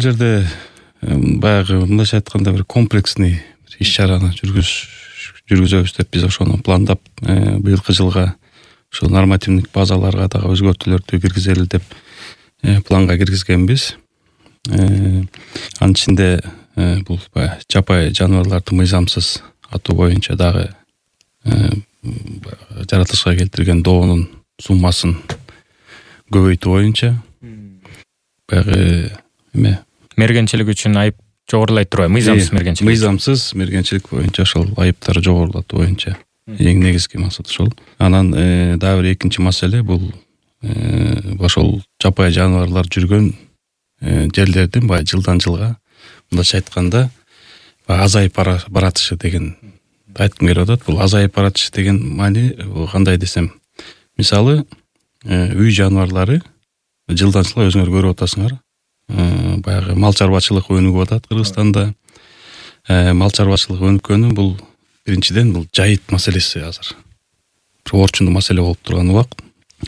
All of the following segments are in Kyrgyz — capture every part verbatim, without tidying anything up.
жерде баягы мындайча айтканда бир комплексный иш чараны жүргүз жүргүзөбүз деп биз ошону пландап быйылкы жылга ошол нормативдик базаларга дагы өзгөртүүлөрдү киргизели деп планга киргизгенбиз. Анын ичинде бул баягы жапайы жаныбарларды мыйзамсыз атуу боюнча дагы жаратылышка келтирген доонун суммасын көбөйтүү боюнча баягы эме мергенчилик үчүн айып жогорулай турбайбы? Мыйзамсыз мергенчилик. Мыйзамсыз мергенчилик боюнча ошол айыптарды жогорулатуу боюнча эң негизги максат ошол. Анан дагы бир экинчи маселе бул ошол жапайы жаныбарлар жүргөн жерлердин баягы жылдан жылга мындайча айтканда азайып баратышы деген айткым келип атат. Бул азайып баратышы деген маани кандай десем, мисалы үй жаныбарлары жылдан жылга өзүңөр көрүп атасыңар, баягы мал чарбачылык өнүгүп атат Кыргызстанда. Мал чарбачылык өнүккөнү бул биринчиден бул жайыт маселеси азыр бир орчундуу маселе болуп турган убакыт.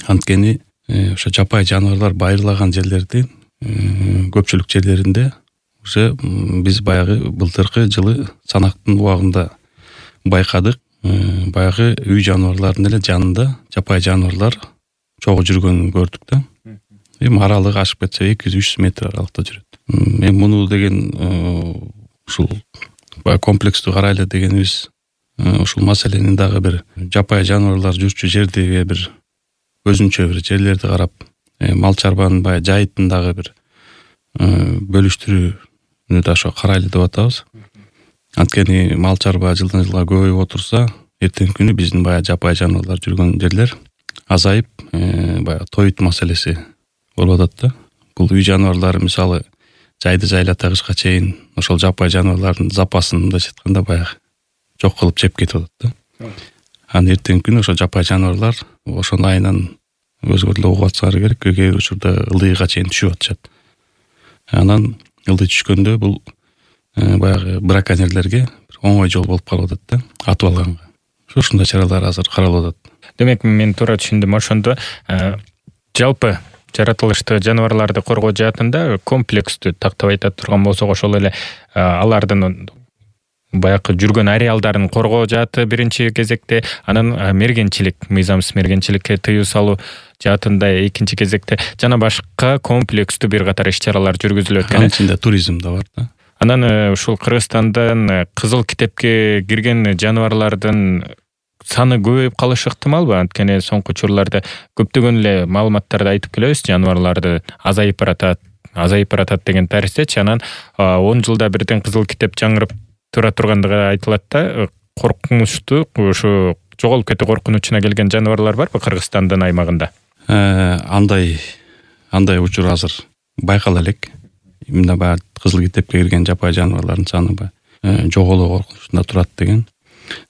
Анткени ошо жапайы жаныбарлар байырлаган жерлердин көпчүлүк жерлеринде уже биз баягы былтыркы жылы санактын убагында байкадык, баягы үй жаныбарларынын эле жанында жапайы жаныбарлар чогуу жүргөнүн көрдүк да. Эми аралыгы ашып кетсе эки жүз үч жүз метр аралыкта жүрөт. Эми муну деген ушул баягы комплекстүү карайлы дегенибиз ушул маселенин дагы бир жапайы жаныбарлар жүрчү жерди бир өзүнчө бир жерлерди карап мал чарбанын баягы жайытын дагы бир бөлүштүрүүнү да ошо карайлы деп атабыз. Анткени мал чарба жылдан жылга көбөйүп отурса, эртеңки күнү биздин баягы жапайы жаныбарлар жүргөн жерлер азайып, баягы тоют маселеси болуп атат да. Бул үй жаныбарлары мисалы жайды жайлата кышка чейин ошол жапайы жаныбарлардын запасын мындайча айтканда баягы жок кылып жеп кетип атат да. Анан эртеңки күнү ошол жапайы жаныбарлар ошонун айынан өзгөр деле угуп атсаңар керек, кээ бир учурда ылдыйга чейин түшүп атышат. Анан ылдый түшкөндө бул баягы браконьерлерге оңой жол болуп калып атат да, атып алганга. Ушундай чаралар азыр каралып атат. Демек мен туура түшүндүм, ошондо жалпы жаратылышты жаныбарларды коргоо жаатында комплекстүү тактап айта турган болсок, ошол эле алардын баягы жүргөн ареалдарын коргоо жааты биринчи кезекте, анан мергенчилик, мыйзамсыз мергенчиликке тыюу салуу жаатында экинчи кезекте, жана башка комплекстүү бир катар иш-чаралар жүргүзүлөт экен. Анын ичинде туризм да бар да. Анан ушул Кыргызстандан кызыл китепке кирген жаныбарлардын саны көбөйүп калышы ыктымалбы? Анткени соңку учурларда көптөгөн эле маалыматтарды айтып келебиз, жаныбарларды азайып баратат, азайып баратат деген тариздечи. Анан он жылда бирден кызыл китеп жаңырып тура тургандыгы айтылат да. Коркунучтуу, ушу жоголуп кетүү коркунучуна келген жаныбарлар барбы Кыргызстандын аймагында? Андай андай учур азыр байкала элек. Мына баягы кызыл китепке кирген жапайы жаныбарлардын саны баягы жоголуу коркунучунда турат деген.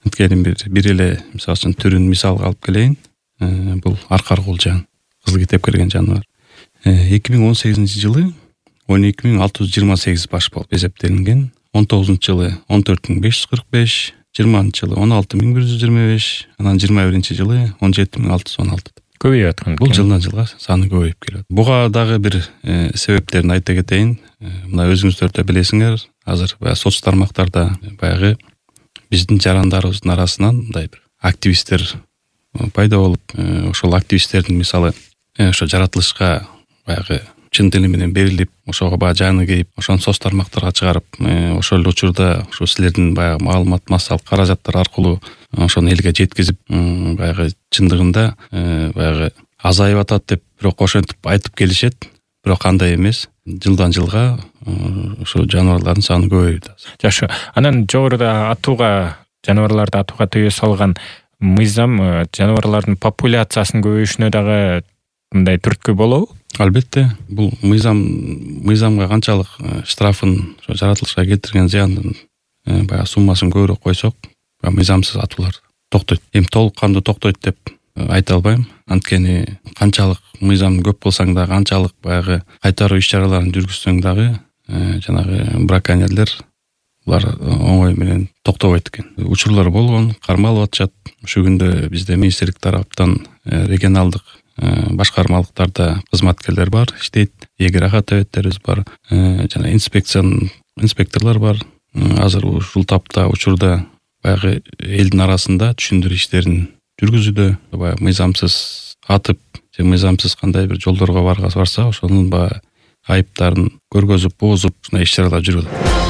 Анткени бир эле мисалы үчүн түрүн мисалга алып келейин. Бул аркар кулжан, кызыл китепке кирген жаныбар. эки миң он сегизинчи жылы он эки миң алты жүз жыйырма сегиз баш болуп эсептелинген. он тогузунчу жылы он төрт миң беш жүз кырк беш, жыйырманчы жылы он алты миң бир жүз жыйырма беш, анан жыйырма биринчи жылы он жети миң алты жүз он алты. Көбөйүп аткан. Бул жылдан жылга саны көбөйүп келет. Буга дагы бир себептерин айта кетейин. Мына өзүңүздөр да билесиңер, азыр баягы соц тармактарда баягы биздин жарандарыбыздын арасынан мындай бир активисттер пайда болуп, ошол активисттердин мисалы ошо жаратылышка баягы чын дили менен берилип, ошого баягы жаны кейип, ошону соц тармактарга чыгарып, ошол учурда ошо силердин баягы маалымат массалык каражаттар аркылуу ошону элге жеткизип, баягы чындыгында баягы азайып атат деп бирок ошентип айтып келишет, бирок андай эмес. Жылдан жылга ошо жаныбарлардын саны көбөйүп атат. Жакшы. Анан жогоруда атууга, жаныбарларды атууга тыюу салган мыйзам жаныбарлардын популяциясынын көбөйүшүнө дагы мындай түрткү болобу? Албетте, бул мыйзам мыйзамга канчалык штрафын, ошо жаратылышка келтирген зыяндын баягы суммасын көбүрөөк койсок, мыйзамсыз атуулар токтойт. Эми толук кандуу токтойт деп айта албайм. Анткени канчалык мыйзам көп болсаң да, канчалык баягы кайтаруу иш-чараларын жүргүзсөң дагы, жанагы браконьерлер булар оңой менен токтобойт экен. Учурлар болгон, кармалып атышат. Ушул күндө бизде министрлик тараптан регионалдык башкармалыктарда кызматкерлер бар, иштейт, эгер ага төбөттерибиз бар, жана инспекциянын инспекторлор бар. Азыр ушул тапта учурда баягы элдин арасында түшүндүрүү иштерин жүргүзүүдө, баягы мыйзамсыз атып же мыйзамсыз кандай бир жолдорго барса, ошонун баягы айыптарын көргөзүп, боозуп ушундай иш чаралар жүргүзөт.